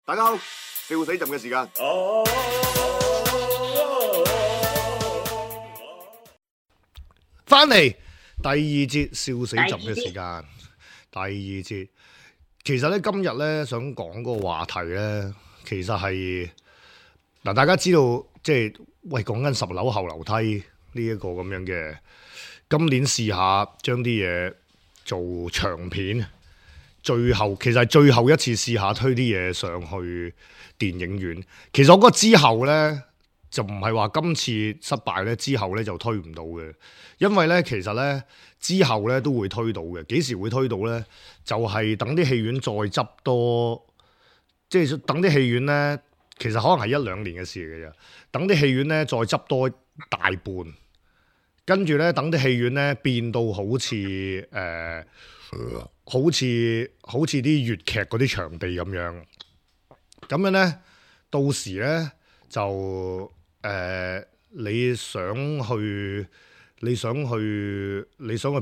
大家好，笑死朕嘅時間。翻嚟第二節笑死朕嘅時間。第二節，其實咧今日咧想講個話題咧，其實係嗱，大家知道即係喂講緊10樓後樓梯呢一個咁樣嘅，今年試下將啲嘢做長片。最後其實係最後一次試下推啲嘢上去電影院。其實我覺得之後呢，就唔係話今次失敗呢，之後呢就推唔到嘅。因為呢，其實呢，之後呢都會推到嘅。幾時會推到呢？就係等啲戲院再執多，即係等啲戲院呢，其實可能係1-2年嘅事嘅啫。等啲戲院呢再執多大半，跟住呢，等啲戲院呢變到好似好似啲粵劇嗰啲場地咁樣，咁樣呢，到時呢，就你想去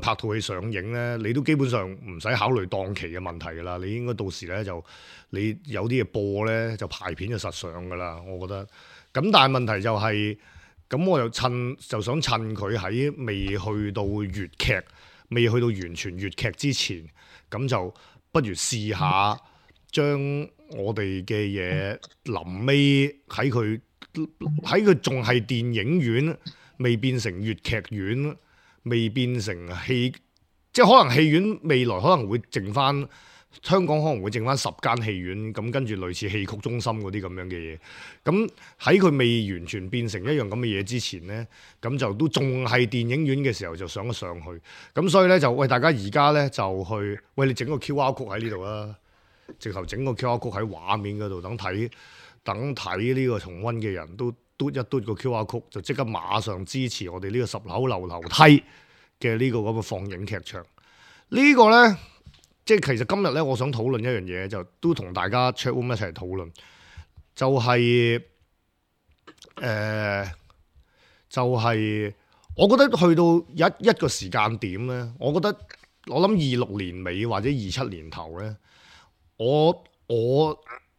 拍套戲上映呢，你都基本上唔使考慮檔期嘅問題㗎啦。你應該到時呢，就你有啲嘢播呢，就排片就實上㗎啦。我覺得，咁但係問題就係，咁我就想趁佢喺未去到粵劇，未去到完全粵劇之前，咁就不如試下將我哋嘅嘢臨尾喺佢仲係電影院，未變成粵劇院，未變成戲，即係可能戲院未來可能會剩翻，香港可能會剩翻10間戲院，咁跟住類似戲曲中心嗰啲咁樣嘅嘢，咁喺佢未完全變成一樣咁嘅嘢之前呢，咁就都仲係電影院嘅時候就上咗上去，咁所以呢，就喂大家而家呢，就去喂你整個 QR code 喺呢度啦，直頭整個 QR code 喺畫面嗰度，等睇呢個重溫嘅人都嘟一嘟個 QR code，就即刻馬上支持我哋呢個10樓樓梯嘅呢個咁嘅放映劇場。呢個呢，即係其實今日呢，我想討論一樣嘢，就都同大家 chat room 一齊討論，就係我覺得去到一個時間點呢，我諗26年尾或者27年頭呢，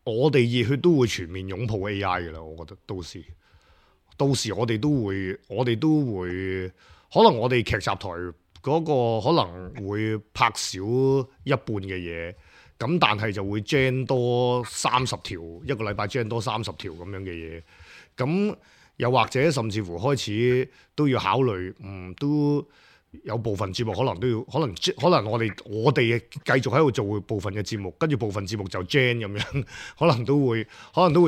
我哋熱血都會全面擁抱 AI 嘅啦。我覺得到時我哋都會，可能我哋劇集台嗰個可能會拍少一半嘅嘢，咁但係就會 gen 多30條，一個禮拜 gen 多30條咁樣嘅嘢，咁又或者甚至乎開始都要考慮，都有部分節目可能我哋繼續喺度做部分嘅節目，跟住部分節目就 gen 咁樣，可能都會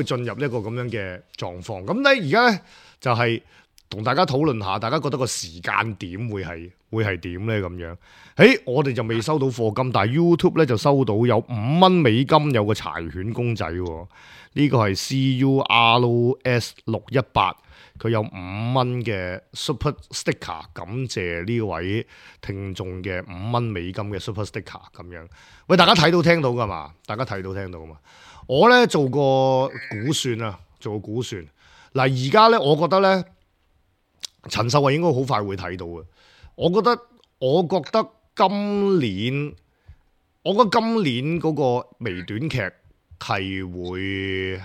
進入一個咁樣嘅狀況。咁咧而家咧就係同大家討論下，大家覺得個時間點會係點咧咁樣？我哋就未收到課金，但係 YouTube 咧就收到有5蚊美金，有個柴犬公仔喎。呢個係 CURS618，佢有5蚊嘅 Super Sticker， 感謝呢位聽眾嘅5蚊美金嘅 Super Sticker 咁樣。喂，大家睇到聽到噶嘛？我咧做個估算。嗱，而家咧，我覺得咧，陳秀慧應該好快會睇到嘅。我覺得今年嗰個微短劇係會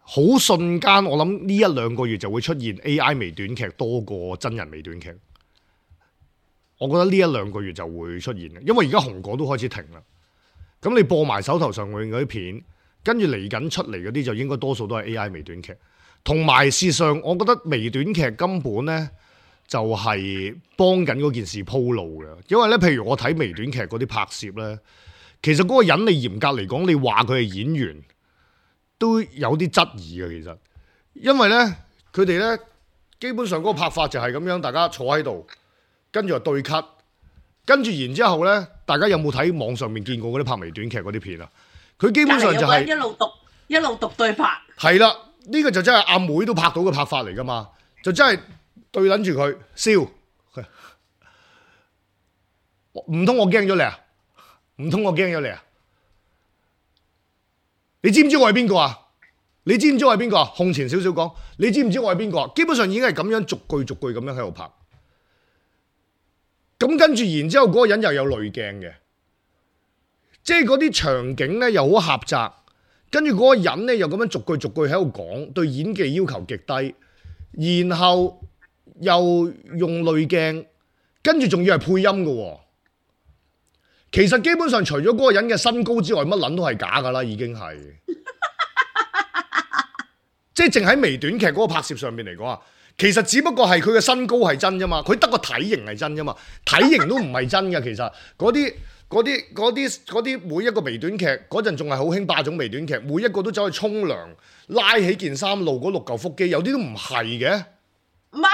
好瞬間，我諗呢1-2個月就會出現 AI 微短劇多過真人微短劇。我覺得呢1-2個月就會出現嘅，因為而家紅果都開始停啦。咁你播埋手頭上嗰啲片，跟住嚟緊出嚟嗰啲就應該多數都係 AI 微短劇。同埋事實上，我覺得微短劇根本呢就係幫緊嗰件事鋪路嘅，因為呢，譬如我睇微短劇嗰啲拍攝呢，其實嗰個人你嚴格嚟講，你話佢係演員都有啲質疑嘅。其實，因為呢，佢哋呢基本上嗰個拍法就係咁樣，大家坐喺度，跟住就對 cut， 跟住然之後呢，大家有冇睇網上面見過嗰啲拍微短劇嗰啲片啊？佢基本上就係一路讀對白。係啦。呢個就真係阿妹都拍到嘅拍法嚟噶嘛，就真係對撚住佢笑，唔通我驚咗你啊？你知唔知我係邊個啊？控前少少講，你知唔知我係邊個啊？基本上已經係咁樣逐句咁樣喺度拍，咁跟住然之後嗰個人又有濾鏡嘅，即係嗰啲場景咧又好狹窄。跟住嗰個人咧又咁樣逐句逐句喺度講，對演技要求極低，然後又用濾鏡，跟住仲要係配音嘅喎。其實基本上除咗嗰個人嘅身高之外，乜撚都係假㗎啦，已經係。即係淨喺微短劇嗰個拍攝上面嚟講啊，其實只不過係佢嘅身高係真啫嘛，佢得個體型係真啫嘛，體型都唔係真嘅。其實嗰啲每一個微短劇嗰陣仲係好興霸總微短劇，每一個都走去沖涼，拉起件衫露嗰6嚿腹肌，有啲都唔係嘅。唔係，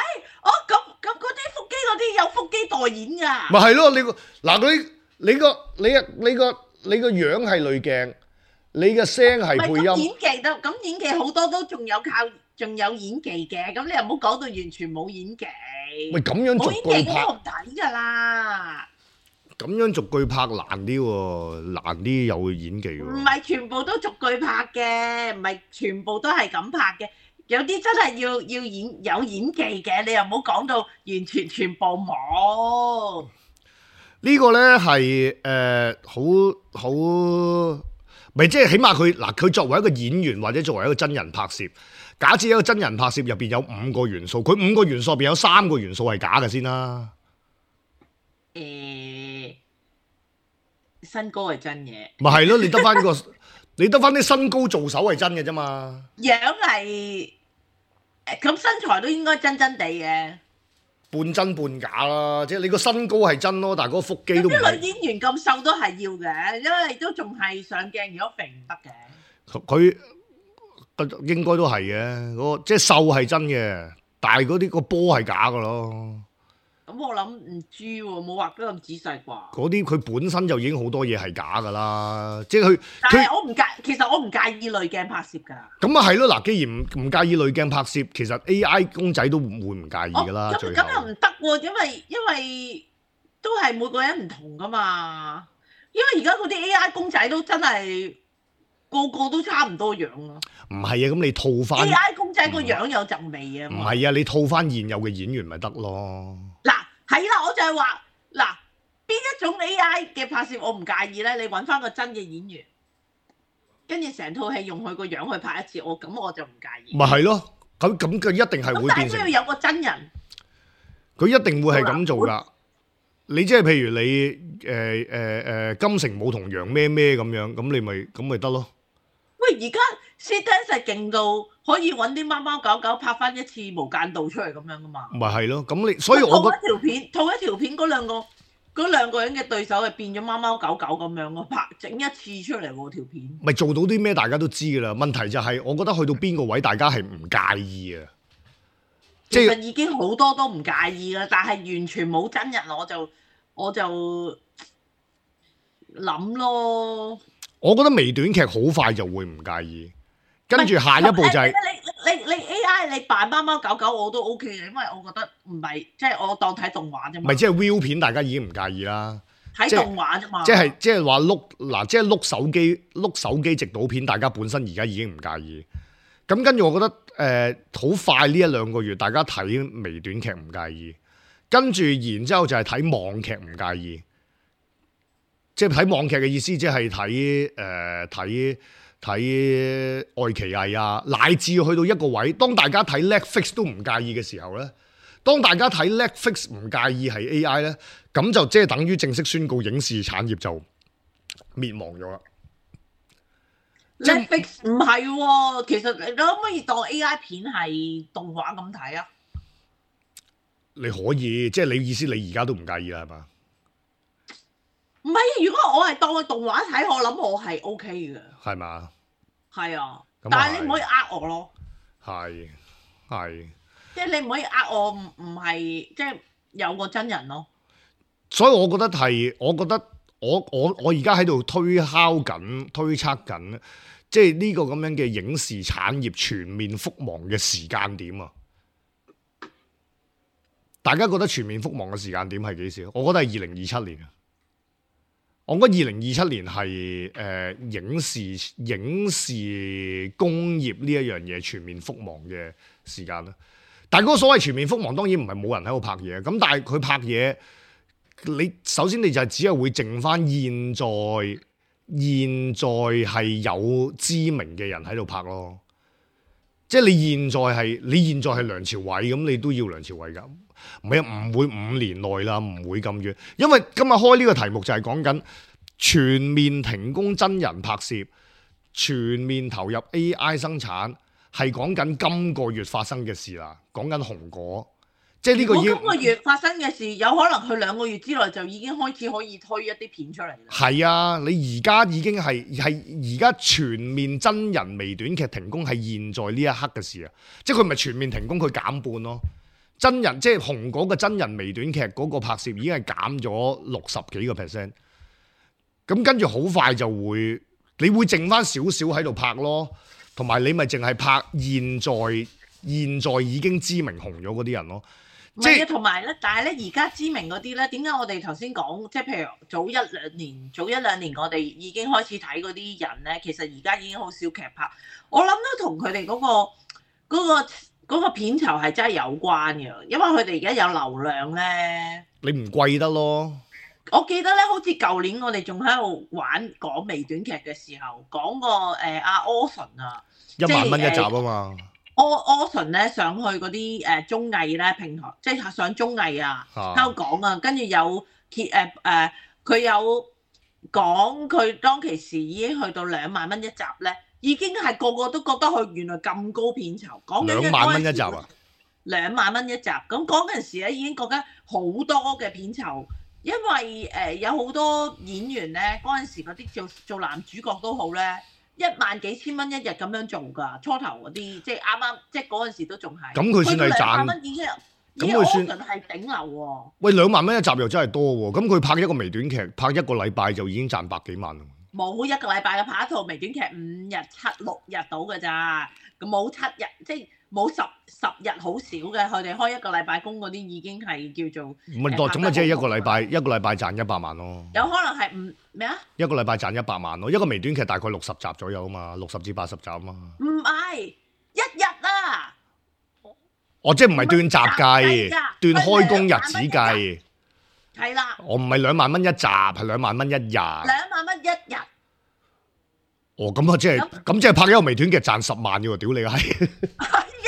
咁嗰啲腹肌嗰啲有腹肌代言㗎。咪係咯，你個樣係濾鏡。你嘅聲係配音，演技好多都仲有演技嘅，咁你又唔好講到完全冇演技。喂，咁樣逐句拍，冇睇㗎啦。咁樣逐句拍難啲喎，難啲有演技喎。唔係全部都逐句拍嘅，唔係全部都係咁拍嘅，有啲真係要有演技嘅，你又唔好講到完全部冇。呢個咧係好。咪即係起碼佢作為一個演員或者作為一個真人拍攝，假設一個真人拍攝入邊有5個元素，佢5個元素入邊有3個元素係假嘅先啦。身高係真嘅。咪係咯，你得翻啲身高做手係真嘅啫嘛。樣係咁身材都應該真真地嘅。半真半假啦，即係你個身高係真咯，但係嗰個腹肌都唔係。啲女演員咁瘦都係要嘅，因為都仲係上鏡，如果肥唔得嘅。佢應該都係嘅，即係瘦係真嘅，但係嗰啲個波係假㗎咯。咁我諗唔知喎，冇畫得咁仔細啩。嗰啲佢本身就已經好多嘢係假㗎啦，即係佢。但係其實我唔介意濾鏡拍攝㗎。咁啊係咯，嗱，既然唔介意濾鏡拍攝，其實 AI 公仔都會唔介意㗎啦。咁又唔得喎，因為都係每個人唔同㗎嘛。因為而家嗰啲 AI 公仔都真係個個都差唔多樣啊。唔係啊，咁你套翻 AI 公仔個樣有陣味啊。唔係啊，你套翻現有嘅演員咪得咯。嗱，係啦，我就係話嗱，邊一種 AI 嘅拍攝我唔介意咧？你揾翻個真嘅演員，跟住成套戲用佢個樣去拍一次，咁我就唔介意。咪係咯，咁佢一定係會變成。但係都要有個真人。佢一定會係咁做㗎。你即係譬如你金城武同楊咩咩咁樣，咁你咪得咯。喂，而家 Stance 勁到可以揾啲貓貓狗狗拍翻一次無間道出嚟咁樣噶嘛？咪係咯，咁你所以我覺得套一條片嗰兩個人嘅對手係變咗貓貓狗狗咁樣咯，整一次出嚟喎條片。咪做到啲咩大家都知㗎啦。問題就係我覺得去到邊個位大家係唔介意啊。其實已經好多都唔介意啦，但係完全冇真人我就諗咯。我覺得微短劇好快就會唔介意，跟住下一步就係你 AI 你扮貓貓狗狗我都 OK 嘅，因為我覺得唔係即係我當睇動畫啫嘛。咪即係 view 片，大家已經唔介意啦。睇動畫啫嘛。即係話即係碌手機直導片，大家本身而家已經唔介意。咁跟住我覺得好快呢1-2個月，大家睇微短劇唔介意，跟住然之後就係睇網劇唔介意。即係睇網劇嘅意思，即係睇愛奇藝啊，乃至去到一個位，當大家睇 Netflix 都唔介意嘅時候咧，當大家睇 Netflix 唔介意係 AI 咧，咁就即係等於正式宣告影視產業就滅亡咗啦。Netflix 唔係喎，其實你可唔可以當 AI 片係動畫咁睇啊？你可以，即係你意思，你而家都唔介意啦，係嘛？唔係，如果我係當佢動畫睇，我諗我係 OK 嘅。係嘛？係啊，但係你唔可以呃我咯。係。即係你唔可以呃我，唔係即係有個真人咯。所以我覺得我而家喺度推測緊，即係呢個咁樣嘅影視產業全面覆亡嘅時間點啊！大家覺得全面覆亡嘅時間點係幾時？我覺得係2027年啊！我覺得2027年係影視工業呢一樣嘢全面覆亡嘅時間啦。但係嗰個所謂全面覆亡，當然唔係冇人喺度拍嘢。咁但係佢拍嘢，首先你就係只係會剩翻現在現在係有知名嘅人喺度拍咯。即係你現在係梁朝偉咁，你都要梁朝偉㗎。唔係啊，唔會5年內啦，唔會咁遠。因為今日開呢個題目就係講緊全面停工真人拍攝，全面投入 AI 生產，係講緊今個月發生嘅事啦。講緊紅果。即係呢個今個月發生嘅事，有可能佢2個月之內就已經開始可以推一啲片出嚟啦。係啊，你而家已經係而家全面真人微短劇停工係現在呢一刻嘅事啊！即係佢唔係全面停工，佢減半咯。真人即係紅果嘅真人微短劇嗰個拍攝已經係減咗60幾個%。咁跟住好快就會，你會剩翻少少喺度拍咯，同埋你咪淨係拍現在已經知名紅咗嗰啲人咯。唔係啊，同埋咧，但係咧，而家知名嗰啲咧，點解我哋頭先講，即係譬如早一兩年，我哋已經開始睇嗰啲人咧，其實而家已經好少劇拍。我諗都同佢哋嗰個片酬係真係有關嘅，因為佢哋而家有流量咧。你唔貴得咯？我記得咧，好似舊年我哋仲喺度講微短劇嘅時候，講過阿 Orson 啊，1萬蚊一集啊嘛。Orson 咧上去嗰啲綜藝咧平台，即係上綜藝啊，喺度講啊，跟住有佢有講佢當其時已經去到2萬蚊一集咧，已經係個個都覺得佢原來咁高片酬，講緊2萬蚊一集啊！2萬蚊一集，咁嗰陣時咧已經覺得好多嘅片酬，因為有好多演員咧嗰陣時嗰啲做男主角都好咧。1萬幾千蚊一日咁樣做㗎，初頭嗰啲即係啱，即係嗰陣時都仲係。咁佢算係賺。2萬蚊已經，咁佢算係頂流喎。喂，2萬蚊一集又真係多喎，咁佢拍一個微短劇，拍1個禮拜就已經賺百幾萬。冇1個禮拜嘅拍一套微短劇5日6日到㗎咋，咁冇7日，即係冇10日好少嘅。佢哋開1個禮拜工嗰啲已經係叫做。唔係多，咁啊即係一個禮拜賺100萬咯。有可能係咩啊？一個禮拜賺100萬咯，一個微短劇大概60集左右啊嘛，60至80集啊嘛。唔係1日啊！哦，即係唔係斷集計，斷開工日子計。係啦。我唔係2萬蚊一集，係2萬蚊一日。2萬蚊一日。哦，咁啊，即係拍一個微短劇賺10萬嘅喎，屌你係。係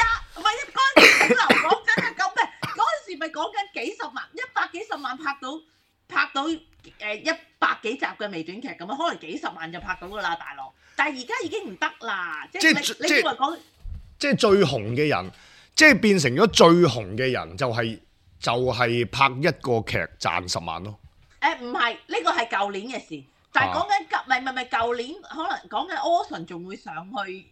啊，唔係嗰陣時頂流，講真係咁咩？嗰陣時咪講緊幾十萬，100幾十萬拍到100幾集嘅微短劇咁樣，可能幾十萬就拍到㗎啦，大佬。但係而家已經唔得啦，即係你以為講即係最紅嘅人，即係變成咗最紅嘅人，就係拍一個劇賺10萬咯。唔係，呢個係舊年嘅事，但係講緊唔係舊年，可能講緊 Orson 仲會上去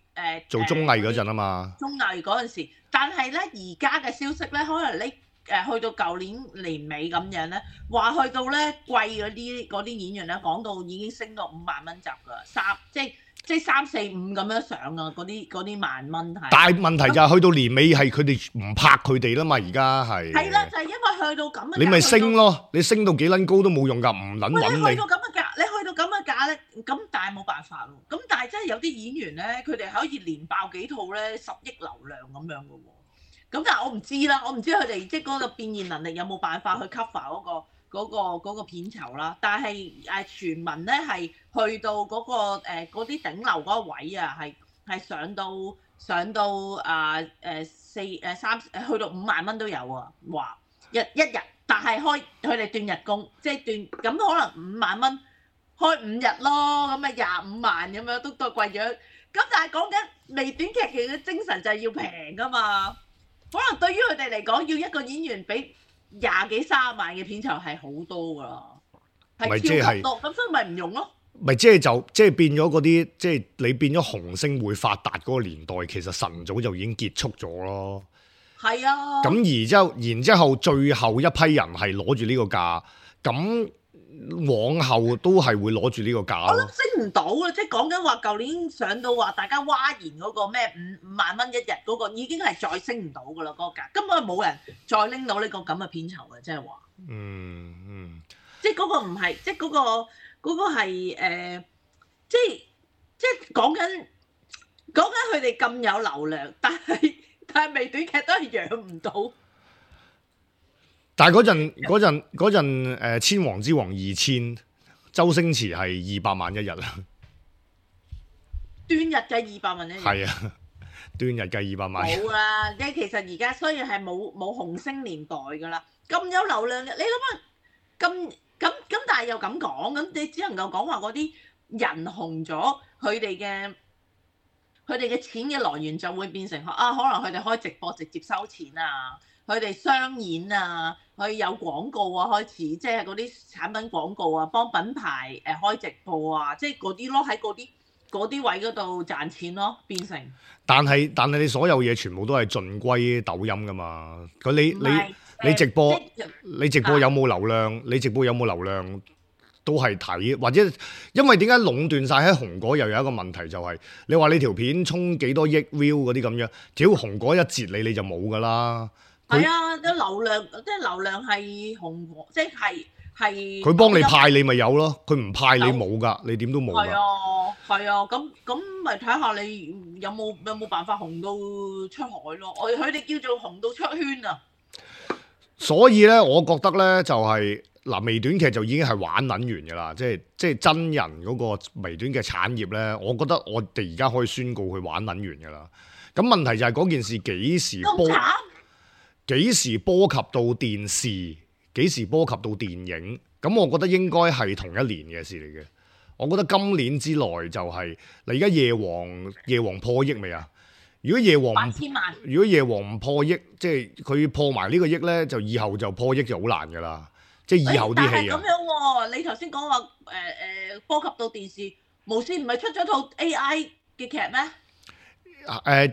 做綜藝嗰陣啊嘛。綜藝嗰陣時，但係咧而家嘅消息咧，可能你。去到舊年年尾咁樣咧，話去到咧貴嗰啲演員咧，講到已經升到5萬蚊集㗎，即係3、4、5咁樣上啊！嗰啲萬蚊係。但係問題就係去到年尾係佢哋唔拍佢哋啦嘛，而家係。係啦，就係因為去到咁嘅。你咪升咯，你升到幾撚高都冇用㗎，唔撚揾你。你去到咁嘅價，咧，咁但係冇辦法喎。咁但係真係有啲演員咧，佢哋可以連爆幾套咧10億流量咁樣㗎喎。咁但係我唔知啦，我唔知佢哋即係嗰個變現能力有冇辦法去 cover 嗰個片酬啦。但係傳聞咧係去到嗰啲頂流嗰個位啊，係上到去到5萬蚊都有啊，話一日，但係開佢哋斷日工，即係斷咁可能5萬蚊開5日咯，咁啊25萬咁樣都貴咗。咁但係講緊微短劇嘅精神就係要平㗎嘛。可能對於佢哋嚟講，要一個演員俾20幾30萬嘅片酬係好多㗎啦，係超級多，咁所以咪唔用咯。咪即係變咗嗰啲，即係你變咗紅星會發達嗰個年代，其實晨早就已經結束咗咯。係啊。咁然之後最後一批人係攞住呢個價，咁往後都係會攞住呢個價咯。我諗升唔到啊！即係講緊話，舊年上到話大家嘩然嗰個咩5萬蚊一日嗰個，已經係再升唔到㗎啦，嗰個價根本冇人再拎到呢個咁嘅片酬嘅，即係話。即係嗰個唔係，即係嗰個係即係講緊佢哋咁有流量，但係微短劇都係養唔到。但係嗰陣千王之王2000周星馳係200萬一日啦。端日計200萬一日。係啊，端日計200萬。冇啦，即係其實而家雖然係冇紅星年代㗎啦，咁有流量嘅，你諗下咁，但係又咁講，咁你只能夠講話嗰啲人紅咗，佢哋嘅錢嘅來源就會變成可能佢哋開直播直接收錢啊，佢哋商演啊，佢有廣告啊，開始即係嗰啲產品廣告啊，幫品牌開直播啊，即係嗰啲咯，喺嗰啲位嗰度賺錢咯，變成。但係你所有嘢全部都係盡歸抖音噶嘛？你直播你直播有冇流量？你直播有冇流量都係睇，或者因為點解壟斷晒喺紅果又有一個問題就係、你話你條片衝幾多億 view 嗰啲咁樣，只要紅果一截你就冇噶啦。係啊，啲流量係紅果，即係佢幫你派你咪有咯，佢唔派你冇㗎，你點都冇㗎。係啊，咁咪睇下你有冇辦法紅到出海咯？佢哋叫做紅到出圈啊！所以咧，我覺得咧就係、微短劇就已經係玩撚完㗎啦，即係真人嗰個微短劇產業咧，我覺得我哋而家可以宣告佢玩撚完㗎啦。咁問題就係嗰件事幾時波及到電視，幾時波及到電影？咁我覺得應該係同一年嘅事嚟嘅。我覺得今年之內就係而家夜王破億未啊？如果夜王8000萬，如果夜王唔破億，即係佢破埋呢個億咧，就以後就破億就好難噶啦。即係以後啲戲啊。但係咁樣喎，你頭先講話波及到電視，無線唔係出咗套 AI 嘅劇咩？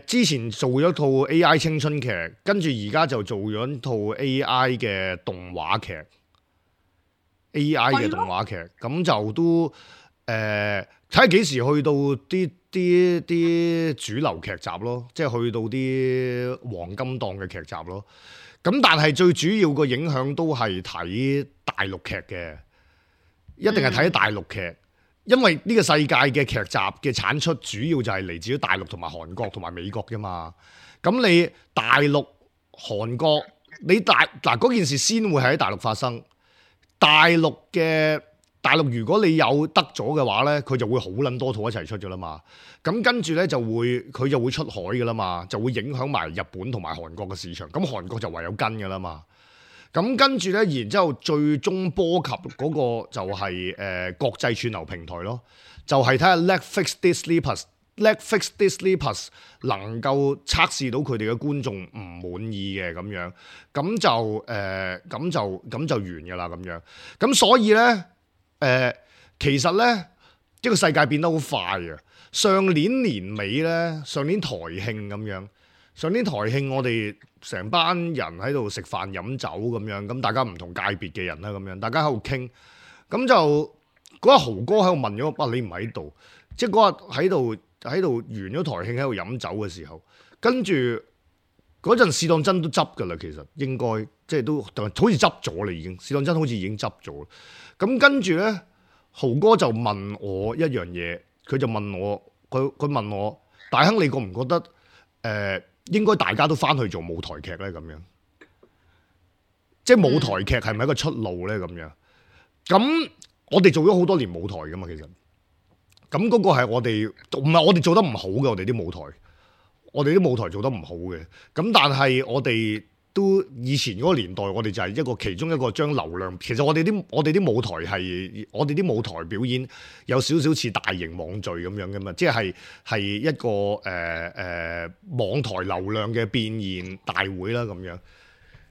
之前做咗套 AI 青春劇，跟住而家就做咗套 AI 嘅動畫劇。AI 嘅動畫劇，咁就都睇下幾時去到啲主流劇集咯，即係去到啲黃金檔嘅劇集咯。咁但係最主要個影響都係睇大陸劇嘅，一定係睇大陸劇，因為呢個世界嘅劇集嘅產出主要就係嚟自於大陸同埋韓國同埋美國㗎嘛。咁你大陸、韓國，你嗱嗰件事先會喺大陸發生。大陸如果你有得咗嘅話咧，佢就會好撚多套一齊出㗎啦嘛。咁跟住咧佢就會出海㗎啦嘛，就會影響埋日本同埋韓國嘅市場。咁韓國就唯有跟㗎啦嘛。咁跟住咧，然之後最終波及嗰個就係、國際串流平台咯，就係睇下 Netflix Disney Plus 能夠測試到佢哋嘅觀眾唔滿意嘅咁樣，咁就完㗎啦咁樣。咁所以咧，其實咧，一個世界變得好快啊！上年年尾咧，上年台慶咁樣，我哋成班人喺度食飯飲酒咁樣，咁大家唔同界別嘅人啦咁樣，大家喺度傾，咁就嗰日豪哥喺度問咗我，你唔喺度，即係嗰日喺度完咗台慶喺度飲酒嘅時候，跟住嗰陣試當真都執㗎啦，其實應該即係都好似執咗啦已經，試當真好似已經執咗。咁跟住咧，豪哥就問我一樣嘢，佢就問我，佢問我，大亨你覺唔覺得應該大家都翻去做舞台劇咧咁樣？即係舞台劇係咪一個出路咧咁樣？咁我哋做咗好多年舞台㗎嘛，其實。咁嗰個係我哋唔係我哋做得唔好嘅，我哋啲舞台做得唔好嘅。咁但係我哋都以前嗰個年代，我哋就係其中一個將流量。其實我哋啲舞台係我哋啲舞台表演有少少似大型網聚咁樣嘅嘛，即係一個網台流量嘅變現大會啦咁樣。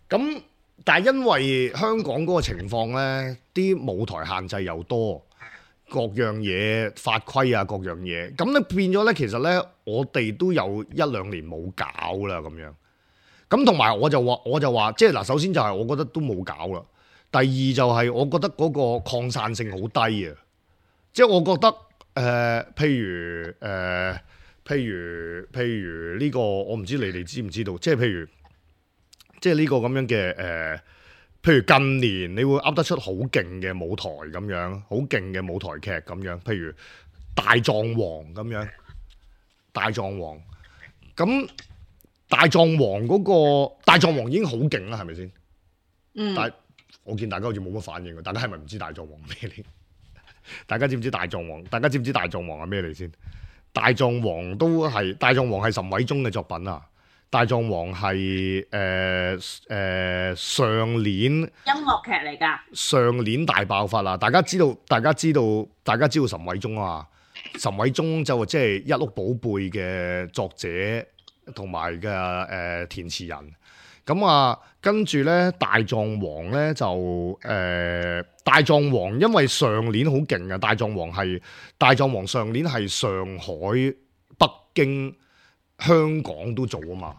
咁但係因為香港嗰個情況咧，啲舞台限制又多。各樣嘢法規啊，各樣嘢咁咧變咗咧，其實咧我哋都有1-2年冇搞啦咁樣。咁同埋我就話，即係嗱，首先就係我覺得都冇搞啦。第二就係我覺得嗰個擴散性好低啊。即係我覺得譬如呢個，我唔知你哋知唔知道，即係譬如呢個咁樣嘅譬如近年你會噏得出好勁嘅舞台咁樣，好勁嘅舞台劇咁樣，譬如大狀王咁樣，大狀王嗰個大狀王已經好勁啦，係咪先？但係我見大家好似冇乜反應，大家係咪唔知大狀王咩嚟？大家知唔知大狀王？大家知唔知大狀王係咩嚟先？大狀王係岑偉宗嘅作品啊！大狀王係上年音樂劇嚟㗎。上年大爆發啦！大家知道岑偉宗啊？岑偉宗就即係一屋寶貝嘅作者同埋嘅填詞人。咁啊，跟住咧大狀王咧就大狀王，因為上年好勁啊！大狀王上年係上海、北京、香港都做啊嘛。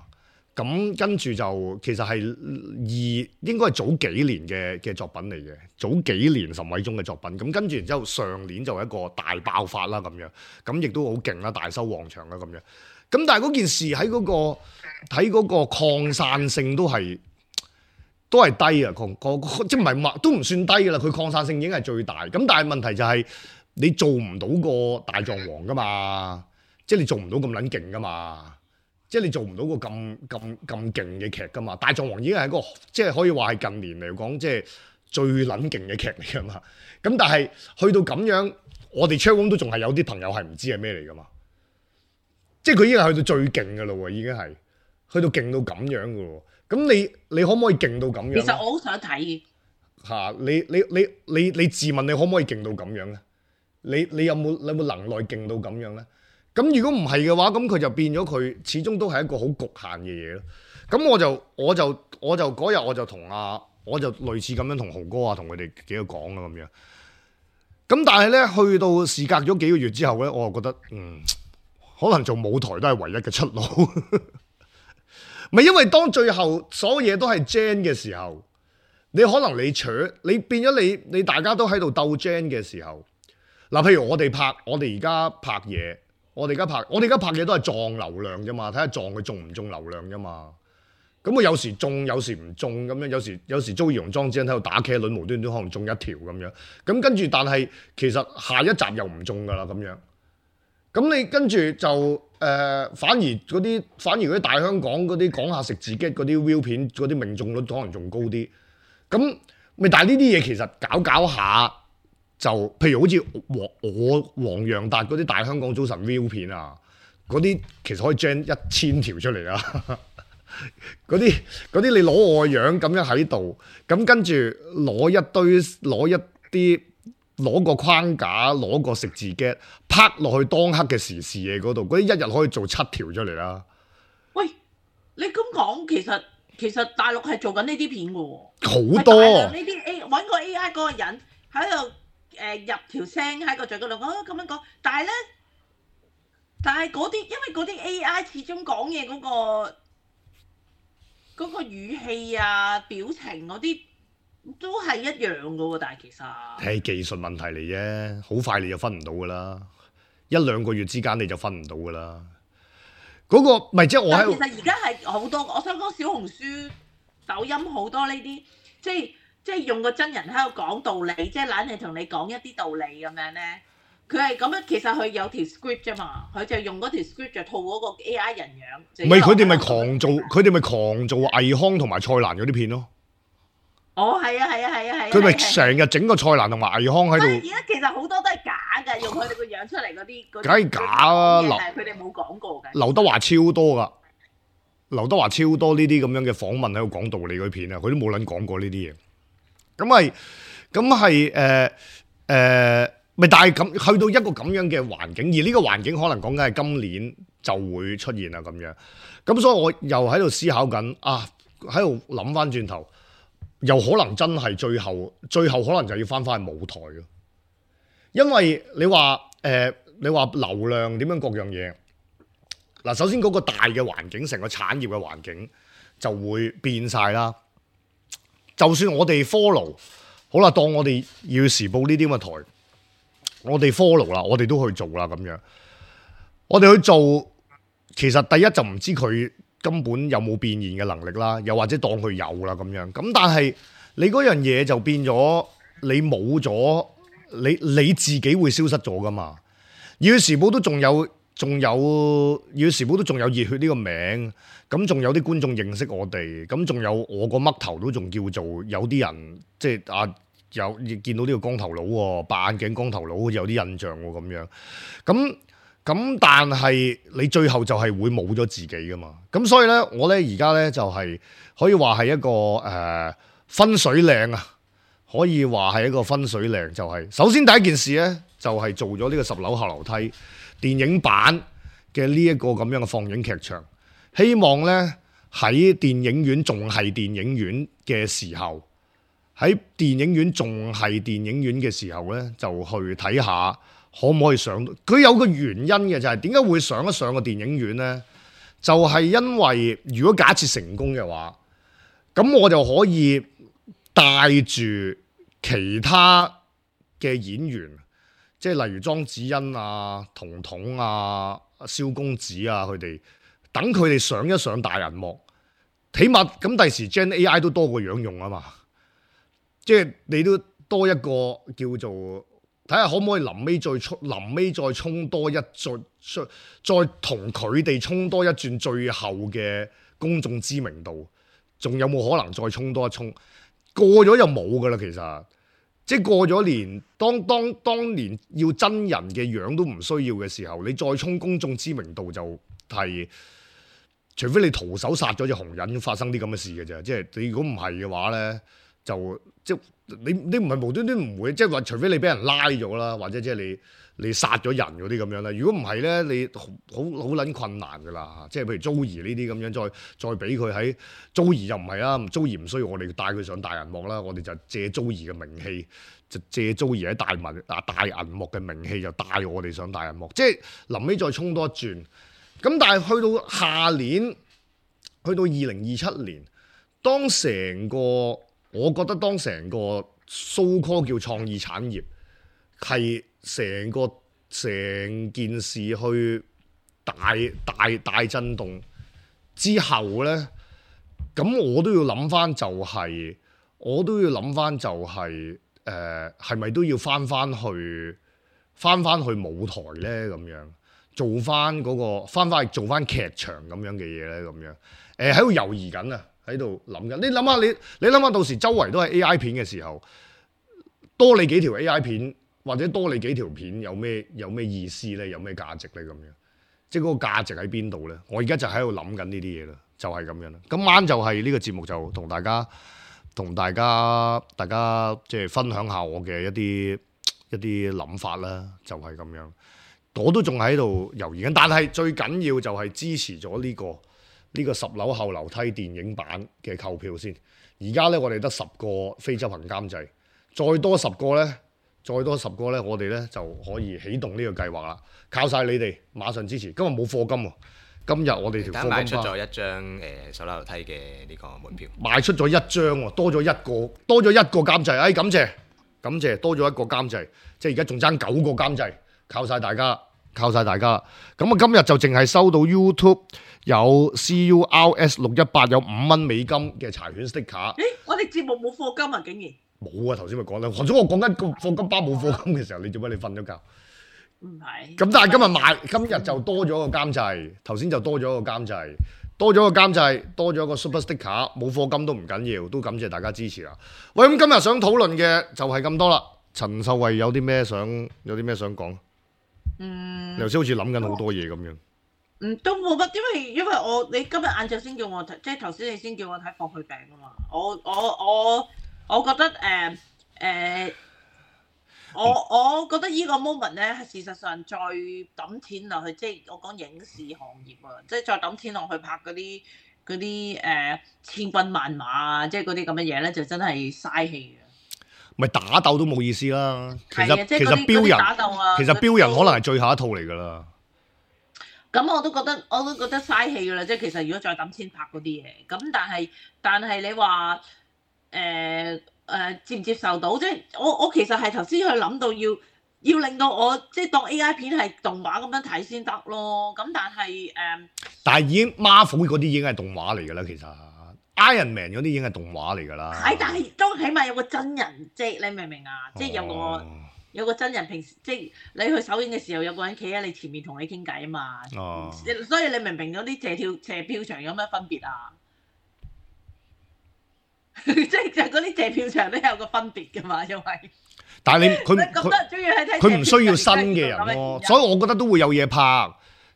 咁跟住就其實係應該係早幾年嘅作品嚟嘅，早幾年岑偉宗嘅作品。咁跟住然之後上年就一個大爆發啦咁樣，咁亦都好勁啦，大收旺場啦咁樣。咁但係嗰件事喺嗰個擴散性都係低啊，即係唔係都唔算低㗎啦，佢擴散性已經係最大。咁但係問題就係你做唔到個大狀王㗎嘛，即係你做唔到咁撚勁㗎嘛。即係你做唔到個咁勁嘅劇㗎嘛？大狀王已經係一個即係可以話係近年嚟講即係最撚勁嘅劇嚟㗎嘛。咁但係去到咁樣，我哋 channel 都仲係有啲朋友係唔知係咩嚟㗎嘛。即係佢已經係去到最勁㗎咯喎，已經係去到勁到咁樣㗎喎。咁你可唔可以勁到咁樣？其實我好想睇嚇你自問你可唔可以勁到咁樣咧？你有冇能耐勁到咁樣咧？咁如果唔係嘅話，咁佢就變咗佢始終都係一個好局限嘅嘢咯。咁我就嗰日我就類似咁樣同豪哥啊同佢哋幾個講啦咁樣。咁但係咧去到事隔咗幾個月之後咧，我就覺得可能做舞台都係唯一嘅出路。咪因為當最後所有嘢都係 Gen 嘅時候，你可能你變咗你大家都喺度鬥 Gen 嘅時候，嗱譬如我哋而家拍嘢。我哋而家拍嘢都係撞流量啫嘛，睇下撞佢中唔中流量啫嘛。咁佢有時中，有時唔中咁樣，有時租義容莊之間喺度打茄輪，無端端可能中一條咁樣。咁跟住，但係其實下一集又唔中噶啦咁樣。咁你跟住就反而嗰啲大香港嗰啲講下食自己嗰啲 view 片嗰啲命中率可能仲高啲。咁咪但係呢啲嘢其實搞下。就譬如好似黃洋達嗰啲大香港早晨 view 片啊，嗰啲其實可以 gen 1000條出嚟啊！嗰啲你攞我個樣咁樣喺度，咁跟住攞個框架，攞個食字 get 拍落去當刻嘅時事嘢嗰度，嗰啲一日可以做7條出嚟啦。喂，你咁講其實大陸係做緊呢啲片嘅喎，好多呢啲揾個 AI 嗰個人喺度。入條聲喺個嘴嗰度，咁樣講，但係嗰啲，因為嗰啲 AI 始終講嘢嗰個語氣啊、表情嗰啲都係一樣嘅喎，但係其實係技術問題嚟啫，好快你就分唔到噶啦，1-2個月之間你就分唔到噶啦。嗰個咪即係我喺度。其實而家係好多，我想講小紅書、抖音好多呢啲，即係用個真人喺度講道理，即係懶係同你講一啲道理咁樣咧。佢係咁樣，其實佢有條 script 啫嘛，佢就用嗰條 script 就套嗰個 AI 人樣。唔係佢哋咪狂做倪匡同埋蔡瀾嗰啲片咯。哦，係啊。佢咪成日整個蔡瀾同埋倪匡喺度。而家其實好多都係假㗎，用佢哋個樣出嚟嗰啲。梗係假啊！佢哋冇講過嘅。劉德華超多㗎，劉德華超多呢啲咁樣嘅訪問喺度講道理嗰啲片啊，佢都冇撚講過呢啲嘢。咁咪但係咁去到一個咁樣嘅環境，而呢個環境可能講緊係今年就會出現啦咁樣。咁所以我又喺度思考緊喺度諗翻轉頭，又可能真係最後可能就要翻去舞台咯。因為你話流量點樣各樣嘢嗱，首先嗰個大嘅環境，成個產業嘅環境就會變晒啦。就算我哋 follow 好啦，當我哋要時報呢啲咁嘅台，我哋 follow 啦，我哋都去做啦咁樣。我哋去做，其實第一就唔知佢根本有冇變現嘅能力啦，又或者當佢有啦咁樣。咁但係你嗰樣嘢就變咗，你冇咗，你自己會消失咗噶嘛？要時報都仲有要時報都仲有熱血呢個名。咁仲有啲觀眾認識我哋，咁仲有我個嘜頭都仲叫做有啲人，即係有見到呢個光頭佬喎，白眼鏡光頭佬好似有啲印象喎咁樣。咁但係你最後就係會冇咗自己噶嘛。咁所以咧，我咧而家咧就係可以話係一個分水嶺啊，可以話係一個分水嶺。就係首先第一件事咧，就係做咗呢個10樓後樓梯電影版嘅呢一個咁樣嘅放映劇場。希望咧喺電影院仲係電影院嘅時候，喺電影院仲係電影院嘅時候咧，就去睇下可唔可以上。佢有個原因嘅就係點解會上一上個電影院咧？就係因為如果假設成功嘅話，咁我就可以帶住其他嘅演員，即係例如莊子欣啊、彤彤啊、蕭公子啊，佢哋等佢哋上一上大銀幕，起碼咁第時 Gen AI 都多個樣用啊嘛，即係你都多一個叫做睇下可唔可以臨尾再衝多一再同佢哋衝多一轉最後嘅公眾知名度，仲有冇可能再衝多一衝？過咗就冇噶啦，其實即係過咗年，當年要真人嘅樣都唔需要嘅時候，你再衝公眾知名度就係、除非你徒手殺咗隻紅人發生啲咁嘅事嘅啫。即係你如果唔係嘅話咧，就即係你唔係無端端唔會，即係話除非你俾人拉咗啦，或者即係你殺咗人嗰啲咁樣啦。如果唔係咧，你好撚困難噶啦。即係譬如 Joey 呢啲咁樣，再俾佢喺 Joey 又唔係啦，Joey 唔需要我哋帶佢上大銀幕啦，我哋就借 Joey 嘅名氣，就借 Joey 喺大銀幕嘅名氣，就帶我哋上大銀幕。即係臨尾再衝多一轉。咁但係去到下年，去到2027年，我覺得當成個 so call 叫創意產業係成件事去大震動之後咧，咁我都要諗翻就係係咪都要翻翻去舞台咧咁樣？做翻做翻劇場咁樣嘅嘢咧，咁樣喺度猶豫緊啊，喺度諗緊。你諗下，到時周圍都係 AI 片嘅時候，多你幾條 AI 片或者多你幾條片有咩意思咧？有咩價值咧？咁樣即係嗰個價值喺邊度咧？我而家就喺度諗緊呢啲嘢啦，就係咁樣啦。今晚就係呢個節目就同大家即係分享下我嘅一啲諗法啦，就係咁樣。我都仲喺度猶豫緊，但係最緊要就係支持咗呢個10樓後樓梯電影版嘅購票先。而家咧我哋得10個非執行監製，再多10個咧，我哋咧就可以啟動呢個計劃啦。靠晒你哋，馬上支持。今日冇課金喎，今日我哋條課金賣出咗一張10樓樓梯嘅呢個門票，賣出咗一張喎，多咗一個監製。感謝，多咗一個監製，即係而家仲爭9個監製。靠晒大家。咁啊，今日就淨係收到 YouTube 有 CURS618 有5蚊美金嘅柴犬 sticker。我哋節目冇課金啊，竟然冇啊！頭先咪講啦，何總我講緊個課金包冇課金嘅時候，你做乜你瞓咗覺？唔係。咁但係今日就多咗個監製，頭先就多咗個監製，多咗個 super sticker， 冇課金都唔緊要，都感謝大家支持啦。喂，咁今日想討論嘅就係咁多啦。陳秀慧有啲咩想講？你頭先好似諗緊好多嘢咁樣。都冇乜，因為你今日晏晝先叫我睇，即係頭先你先叫我睇《放血餅》啊嘛。我覺得我覺得依個 moment 咧，事實上再抌錢落去，即係我講影視行業啊，即係再抌錢落去拍嗰啲千軍萬馬啊，即係嗰啲咁嘅嘢咧，就真係嘥氣嘅。咪打鬥都冇意思啦。其實打鬥啊，其實標人可能係最後一套嚟㗎啦。咁我都覺得嘥氣㗎啦。即係其實如果再抌錢拍嗰啲嘢，咁但係你話接唔接受到？即係我其實係頭先去諗到要令到我即係當 AI 片係動畫咁樣睇先得咯。咁但係已經 Marvel 嗰啲已經係動畫嚟㗎啦，其實。Iron Man 嗰啲已經係動畫嚟㗎啦。係，但係都起碼有個真人，即係你明唔明啊？即係有個真人，平時即係你去首映嘅時候，有個人企喺你前面同你傾偈啊嘛。所以你明唔明嗰啲謝票場有咩分別啊？即係就嗰啲謝票場都有個分別㗎嘛，因為但係咁多人中意去睇謝票場，佢唔需要新嘅人咯，所以我覺得都會有嘢拍。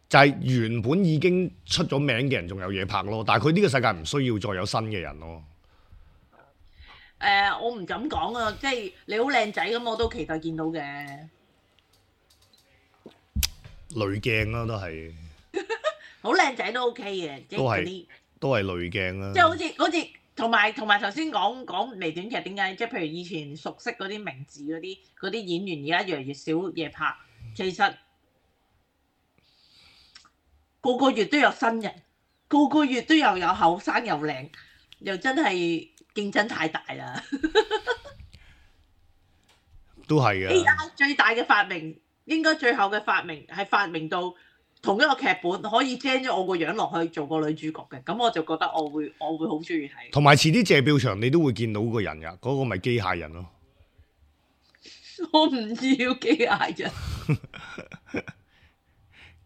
就係原本已經出咗名嘅人仲有嘢拍咯，但係佢呢個世界唔需要再有新嘅人咯。我唔敢講啊，即係你好靚仔咁，我都期待見到嘅。濾鏡啦，都係好靚仔都 OK 嘅，即係嗰啲都係濾鏡啦。即係好似同埋頭先講微短劇點解？即係譬如以前熟悉嗰啲名字嗰啲演員，而家越嚟越少嘢拍，其實。個個月都有新人，個個月都有後生又靚，又真係競爭太大啦。都係嘅。AI 最大嘅發明，應該最後嘅發明係發明到同一個劇本可以 gen 咗我個樣落去做個女主角嘅，咁我就覺得我會好中意睇。同埋遲啲謝票場你都會見到個人㗎，嗰個咪機械人咯。我唔要機械人。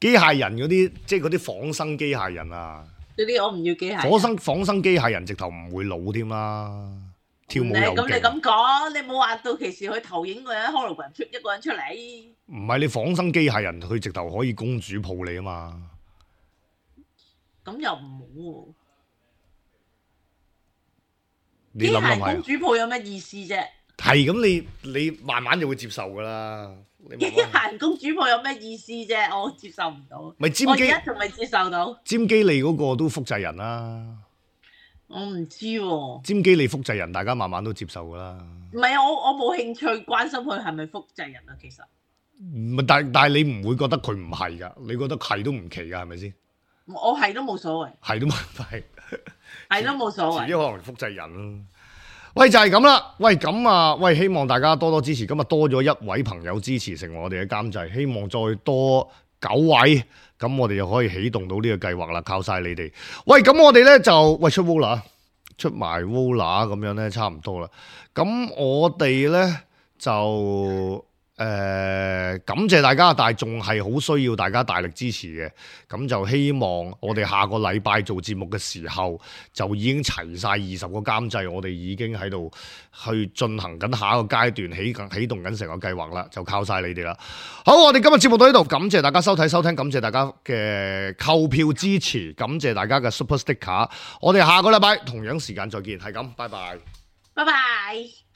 機械人嗰啲，即係嗰啲仿生機械人啊！嗰啲我唔要機械人。仿生機械人直頭唔會老添啦，跳舞又勁。咁你咁講，你冇話到期時去投影個人 hologram 出一個人出嚟。唔係你仿生機械人，佢直頭可以公主抱你啊嘛！咁又唔好喎。你諗諗係。公主抱有咩意思啫？係咁，你慢慢就會接受㗎啦。機械人公主抱有咩意思啫？我接受唔到。咪尖基，我而家仲未接受到。尖基利嗰個都複製人啦。我唔知喎。尖基利複製人，大家慢慢都接受㗎啦。唔係啊，我冇興趣關心佢係咪複製人啊，其實。唔係，但係你唔會覺得佢唔係㗎？你覺得係都唔奇㗎，係咪先？我係都冇所謂。係都冇係。係都冇所謂。遲啲可能複製人咯。喂，就係咁啦。喂，咁啊，喂，希望大家多多支持。今日多咗一位朋友支持，成為我哋嘅監製。希望再多9位，咁我哋就可以啟動到呢個計劃啦。靠晒你哋。喂，咁我哋咧就出 Vola， 出埋 Vola 咁樣咧，差唔多啦。咁我哋咧就感謝大家，但係仲係好需要大家大力支持嘅。咁就希望我哋下個禮拜做節目嘅時候，就已經齊晒20個監製，我哋已經喺度去進行緊下一個階段，啟動緊成個計劃啦，就靠晒你哋啦。好，我哋今日節目到呢度，感謝大家收睇收聽，感謝大家嘅購票支持，感謝大家嘅 Super Sticker。我哋下個禮拜同樣時間再見，係咁，拜拜，拜拜。